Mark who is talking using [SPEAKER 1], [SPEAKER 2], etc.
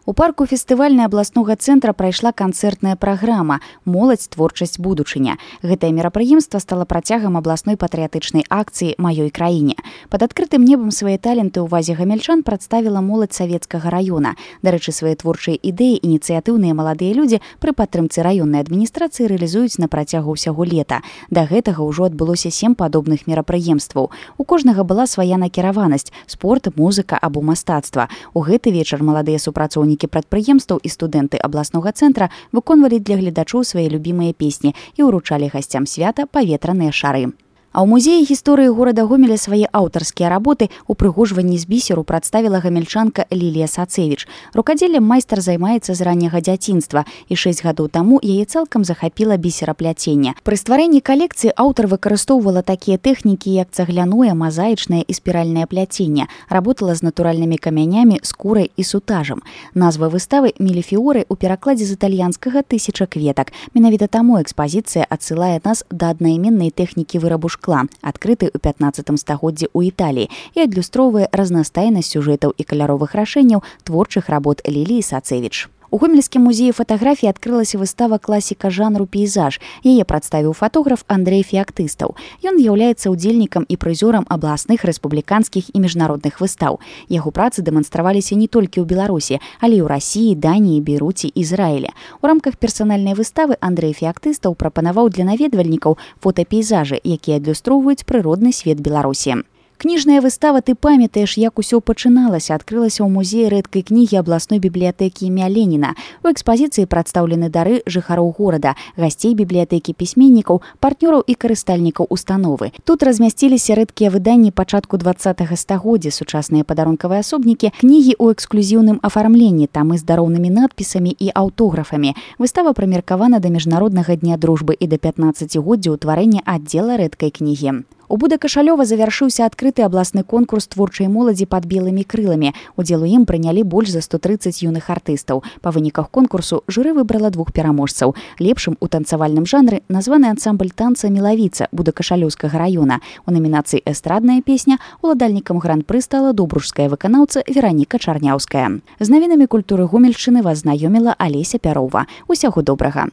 [SPEAKER 1] У парку фестывальнай абласнога цэнтра прайшла канцэртная праграма «Моладзь, творчасць, будучыня». Гэтае мерапрыемства стала працягам абласной патрыятычнай акцыі «Маёй краіне». Пад адкрытым небам свае таленты ў увазе гамельчан прадставіла моладзь савецкага раёна. Дарэчы, свае творчыя ідэі ініцыятыўныя маладыя людзі пры падтрымцы раённай адміністрацыі рэалізуюць на працягу ўсяго лета. Да гэтага ўжо адбылося 7 падобных мерапрыемстваў. У кожнага была свая накіраванасць – спорт, музыка або мастацтва. У гэты вечар маладыя супрацоўнікі прадпрыемстваў і студэнты абласнога цэнтра выконвалі для гледачоў свае любімыя песні і ўручалі гасцям свята паветраныя шары. А ў музеі гісторыі горада Гомеля свае аўтарскія работы упрыгожванні з бісеру прадставіла гамельчанка Лілія Сацевіч. Рукадзеллем майстар займаецца з ранняга дзяцінства, і 6 гадоў таму яе цалкам захапіла бісерапляценне. Пры стварэнні калекцыі аўтар выкарыстоўвала такія тэхнікі, як цагляное, мазаічнае і спіральнае пляценне, работала з натуральнымі камянямі, скурай і сутажам. Назва выставы «Меліфіоры» у перакладзе з італьянскага «Тысяча кветак». Менавіта таму экспазіцыя адсылае нас да аднайменнай тэхнікі вырабу шкла, адкрыты ў 15 стагоддзі ў Італіі і адлюстроўвае разнастайнасць сюжэтаў і каляровых рашэнняў творчых работ Ліліі Сацевіч. У Гомельскім музеі фатаграфіі адкрылася выстава класіка жанру пейзаж. Яе прадставіў фатограф Андрэй Феактыстаў. Ён з'яўляецца удзельнікам і прызёрам абласных, рэспубліканскіх і міжнародных выстаў. Яго працы дэманстраваліся не толькі ў Беларусі, але і ў Расіі, Даніі, Бейруце, Ізраіле. У рамках персанальнай выставы Андрэй Феактыстаў прапанаваў для наведвальнікаў фотапейзажы, якія адлюстроўваюць прыродны свет Беларусі. Кніжная выстава «Ты памятаеш, як усё пачыналася» адкрылася ў музеі рэдкай кнігі абласной бібліятэкі імя Леніна. У экспазіцыі прадстаўлены дары жыхароў горада, гасцей бібліятэкі пісьменнікаў, партнёраў і карыстальнікаў установы. Тут размясціліся рэдкія выданні пачатку 20-го стагоддзя, сучасныя падарункавыя асобнікі, кнігі ў эксклюзіўным афармленні, тамы з дароўнымі надпісамі і аўтографамі. Выстава прымеркавана да міжнароднага дня дружбы і да 15-годдзя ўтварэння аддзела рэдкай кнігі. У Будакашалёва завяршыўся адкрыты абласны конкурс творчай моладзі пад белымі крыламі. Удзел у ім прынялі больш за 130 юных артыстаў. Па выніках конкурсу журы выбрала 2 пераможцаў. Лепшым у танцавальным жанры названы ансамбль танца «Мелавіца» Будакашалёўскага раёна. У намінацыі «Эстрадная песня» уладальнікам гран-пры стала добружская выканаўца Вераніка Чарняўская. З навінамі культуры Гомельшчыны вас знаёміла Алеся Пярова. Усяго добрага.